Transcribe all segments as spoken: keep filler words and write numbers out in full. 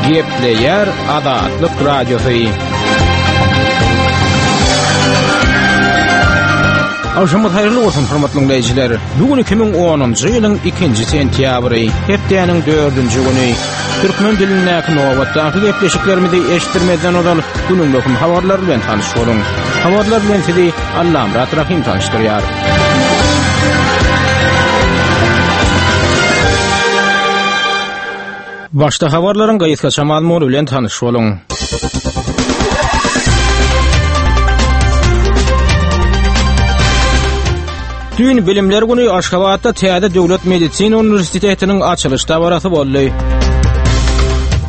Gepleýär Azatlyk Radiosy. Agşamyňyz haýyrly bolsun, hormatly dinleýjiler. Bu gün iki müň onunjy ýylyň ikinji sentýabry, hepdäniň dördünji güni. Türkmen dilindäki nobatdaky gepleşiklerimizi eşitdirmezden ozal günüň möhüm habarlary bilen tanyş boluň. Habarlar bilen sizi Allamyrat Rahym tanyşdyrýar. Başda habarlaryň gysgaça mazmuny bilen tanyş boluň. Düýn Bilimler güni Aşgabatda täze döwlet medisina uniwersitetiniň açylyş dabarasy boldy.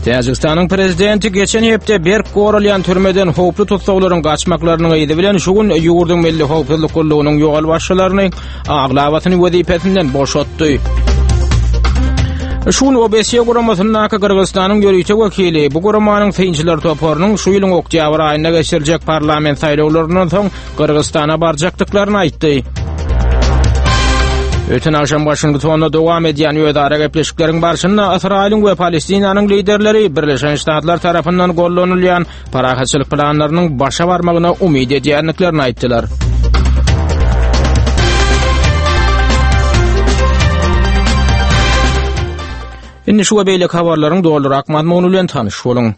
Täjigistanyň prezidenti geçen hepde berk goralýan türmeden howply tussaglaryň gaçmaklarynyň yzy bilen şu gün ýurduň Milli howpsuzlyk gullugynyň ýolbaşçylaryny aglabasyny wezipesinden boşatdy. Şu gün O B S guramasyndaky Gyrgyzystanyň ýörite wekili bu guramanyň synçylar toparynyň şu ýylyň oktýabr aýynda geçiriljek parlament saýlawlaryndan soň Gyrgyzystana barjakdyklaryny aýtdy. Öten akşam Washingtonda dowam edýän özara gepleşikleriň barşynda Ysraýylyň we Palestinanyň liderleri Birleşen Ştatlar tarapyndan gollanylýan parahatçylyk planlarynyň başa barmagyna umyt edýändiklerini aýtdylar. Indi şu we beýleki habarlaryň dolurak mazmuny bilen tanyş boluň.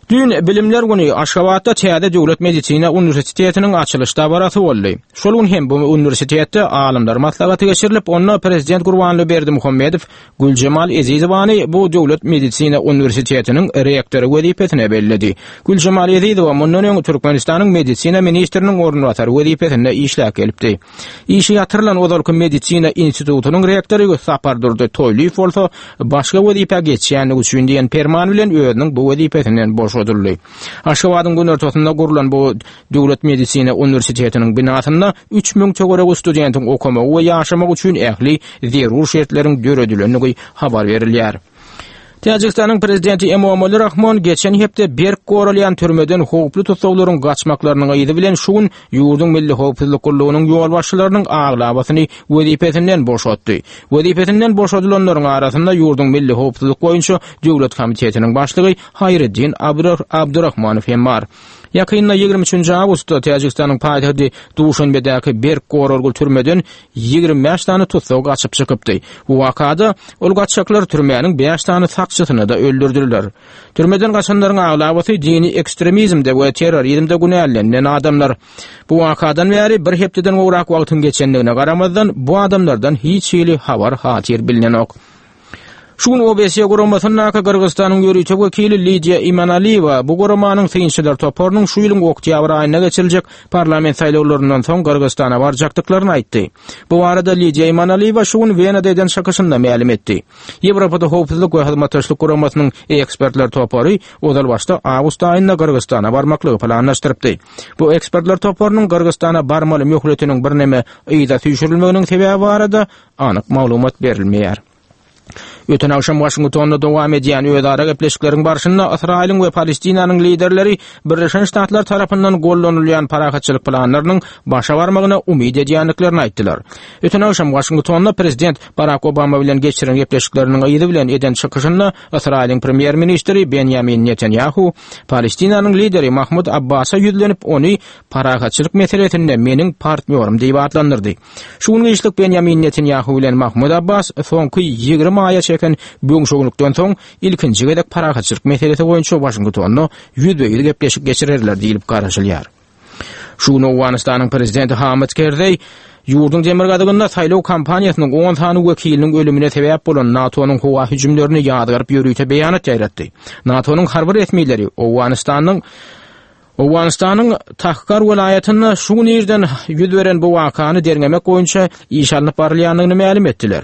Düýn Bilimler güni Aşgabatda täze döwlet medisina uniwersitetiniň açylyş dabarasy boldy. Şol gün hem bu uniwersitetde alymlar maslahaty geçirilip, onda Prezident Gurbanguly Berdimuhamedow Güljemal Ezizowany bu döwlet medisina uniwersitetiniň rektory wezipesine belledi. Güljemal Ezizowa mundan öň Türkmenistanyň medisina ministriniň orunbasary wezipesinde işläp gelipdi. Işi ýatyrylan ozalky medisina institutynyň rektory Sapardurdy Toýlyýew bolsa başga wezipä geçýänligi üçin diýen perman bilen özüniň bu wezipesinden boşadyldy. Aşgabadyň günortasynda gurlan bu döwlet medisina uniwersitetiniň binasynda üç müň töweregi studentiň okamagy we ýaşamagy üçin ähli zerur şertleriň döredilendigi habar berilýär. Täjigistanyň prezidenti Emomali Rahmon geçen hepde berk goralýan türmeden howply tussaglaryň gaçmaklarynyň yzy bilen şu gün ýurduň Milli howpsuzlyk gullugynyň ýolbaşçylarynyň aglabasyny wezipesinden boşatdy. Wezipesinden boşadylanlaryň arasynda ýurduň Milli howpsuzlyk boýunça döwlet komitetiniň başlygy Haýriddin Abdurrahmanow hem bar. Ýakynda ýigrimi üçünji awgustda Täjigistanyň paýtagty Duşanbedäki berk goralgy türmeden ýigrimi bäş sany tussag gaçyp çykypdy. Bu wakada ol gaçaklar türmäniň bäş sany sakçysyny da öldürdüler. Türmeden gaçanlaryň aglabasy dini ekstremizmde we terrorizmde günälenen adamlar. Bu wakadan bäri bir hepdeden gowrak wagtyň geçendigine garamazdan bu adamlardan hiç hili habar hatyr bilinenok. Şu gün O B S guramasyndaky Gyrgyzystanyň ýörite wekili Lidiýa Imanaliýewa bu guramanyň synçylar toparynyň şu ýylyň oktýabr aýynda geçiriljek parlament saýlawlaryndan soň Gyrgyzystana barjakdyklaryny aýtdy. Bu barada Lidiýa Imanaliýewa şu gün Wenada eden çykyşynda mälim etdi. Ýewropada howpsuzlyk we hyzmatdaşlyk guramasynyň ekspertler topary ozal başda awgust aýynda Gyrgyzystana barmaklygy planlaşdyrypdy. Bu ekspertler toparynyň Gyrgyzystana barmaly möhletiniň birneme yza süýşürilmeginiň sebäbi barada anyk maglumat berilmeýär. Öten akşam Washingtonda dowam edýän özara gepleşikleriň barşynda Ysraýylyň we Palestinanyň liderleri Birleşen Ştatlar tarapyndan gollanylýan parahatçylyk planlarynyň başa barmagyna umyt edýändiklerini aýtdylar. Öten akşam Washingtonda prezident Barack Obama bilen geçiren gepleşikleriniň yzy bilen eden çykyşynda Ysraýylyň premýer-ministri Benjamin Netanyahu Palestinanyň lideri Mahmud Abbasa ýüzlenip, ony parahatçylyk meselesinde meniň partnýorym diýip atlandyrdy. Şu gün işlik Benjamin Netanyahu bilen Mahmud Abbas soňky ýigrimi aýa çeken böňşögünlikden soň ilkinji gezek parahatçylyk meselesi boýunça Washingtonda ýüzbe-ýüz gepleşik geçirerler diýilip garaşylýar. Şu gün Owganystanyň prezidenti Hamid Kerzeý ýurduň demirgazygynda saýlaw kampaniýasynyň on sany wekiliniň ölümine sebäp bolan NATO-nyň howa hüjümlerini ýadgaryp ýörite beýanat ýaýratdy. NATO-nyň harby resmileri Owganystanyň Owganystanyň Tahkar welaýatynda şu gün irden ýüz beren bu wakany derňemek boýunça iş alnyp barylýandygyny mälim etdiler.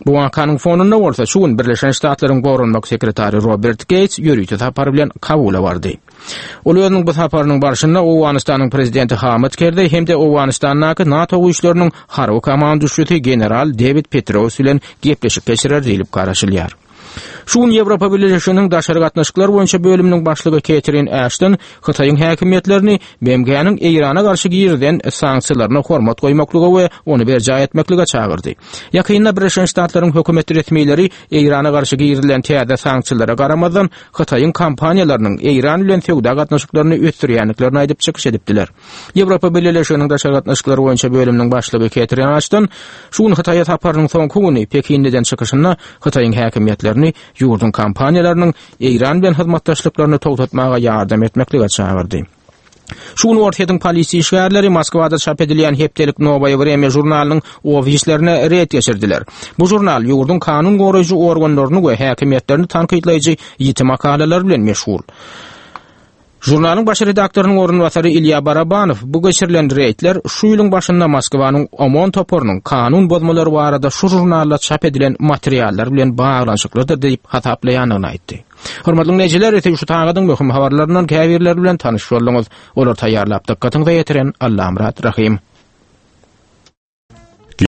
Bu wakanyň fonunda bolsa şu gün Birleşen Ştatlaryň goranmak sekretary Robert Gates ýörite sapar bilen Kabula bardy. Ol özüniň bu saparynyň barşynda Owganystanyň prezidenti Hamid Kerzeý hem-de Owganystandaky NATO güýçleriniň harby komanduşçysy general David Petraeus bilen gepleşik geçirer diýlip garaşylýar. Şu gün Ýewropa Birleşiginiň daşary gatnaşyklar boýunça bölüminiň başlygy Ketrin Ashton Hytaýyň häkimiýetlerini B M G-niň Eýrana garşy girizen sanksiýalaryna hormat goýmaklyga we ony berjaý etmeklige çagyrdy. Ýakynda Birleşen Ştatlaryň hökümet resmileri Eýrana garşy girizilen täze sanksiýalara garamazdan Hytaýyň kompaniýalarynyň Eýran bilen söwda gatnaşyklaryny ösdürýändiklerini aýdyp çykyş edipdiler. Ýewropa Birleşiginiň daşary gatnaşyklar boýunça bölüminiň başlygy Ketrin Ashton şu gün Hytaýa saparynyň soňky güni Pekinden çykyşynda Hytaýyň häkimiýetlerini ýurduň kompaniýalarynyň Eýran bilen hyzmatdaşlyklaryny togtatmaga ýardam etmeklige çagyrdy. Şu gün Orsýetiň polisiýa işgärleri Moskwada çap edilýän hepdelik Nowoýe Wremýa žurnalynyň ofislerine reýd geçirdiler. Bu žurnal ýurduň kanun goraýjy organlaryny we häkimiýetlerini tankytlaýjy ýiti makalalar bilen meşhur. Žurnalyň baş redaktorynyň orunbasary Ilýa Barabanow bu geçirilen reýdler şu ýylyň başynda Moskwanyň OMON toparynyň kanun bozmalary barada şu žurnalda çap edilen materiallar bilen baglanyşyklydyr diýip hasaplaýandygyny aýtdy. Hormatly dinleýjiler, şu tagadyň möhüm habarlaryndan käbirleri bilen tanyş bolduňyz. Olar taýýarlap dykgatyňyza ýetiren Allamyrat Rahim.